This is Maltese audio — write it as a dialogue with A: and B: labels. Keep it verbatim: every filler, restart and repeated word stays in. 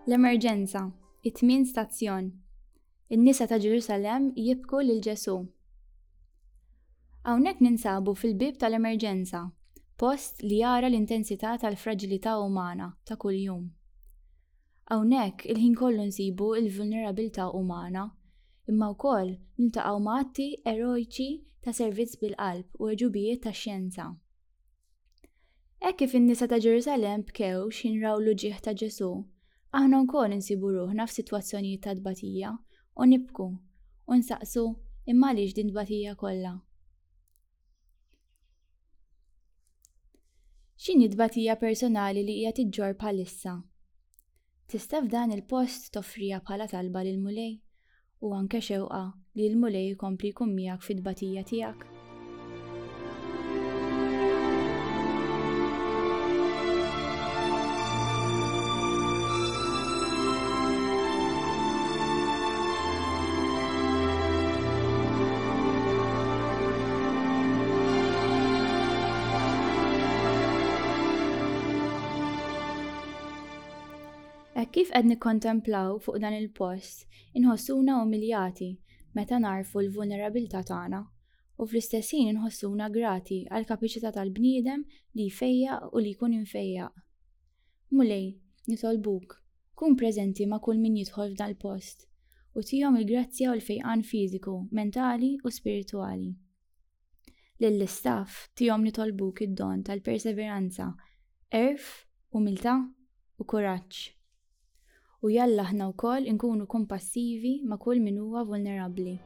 A: L-emerġenza, it-tmien stazzjon. In-nisa ta' Ġerusalemm jibku lil Ġesù. Hawnhekk ninsabu fil-bieb tal-emerġenza, post li jara l-intensità tal-fraġilità umana ta' kuljum. Hawnhekk il-ħin kollu nsibu l-vulnerabilità umana, imma wkoll niltaqgħu ma' atti erojċi ta' servizz bil-qalb u għeġubijiet tax-xjenza. Hekk kif in-nisa ta' Ġerusalemm bkew x'ħin raw l-uġigħ ta' Ġesù, aħna wkoll insibu ruħna f'sitwazzjonijiet ta' tbatija u nibku u nsaqsu imma għaliex din tbatija kollha. X'inhi tbatija personali li hija tiġġor bħalissa? Tista' f'dan il-post toffriha bħala talba lill-Mulej u anke xewqa li l-Mulej jkompli jkun miegħek fit-tbatija tiegħek? Hekk kif qed nikkontemplaw fuq dan il-post, inħossuna umiljati meta narfu l-vulnerabilità tagħna u fl-istess ħin inħossuna grati għall-kapaċità tal-bniedem li jfejjaq u li jkun imfejjaq. Mulej, nitolbuk, kun preżenti ma' kull min jidħol f'dan il-post u tihom il-grazzja u l-fejqan fiżiku, mentali u spiritwali. Lill-istaff tihom nitolbuk id-don tal-perseveranza, għerf, umiltà u kuraġġ. U jalla aħna wkoll inkunu kompassivi ma' kull min huwa vulnerabbli.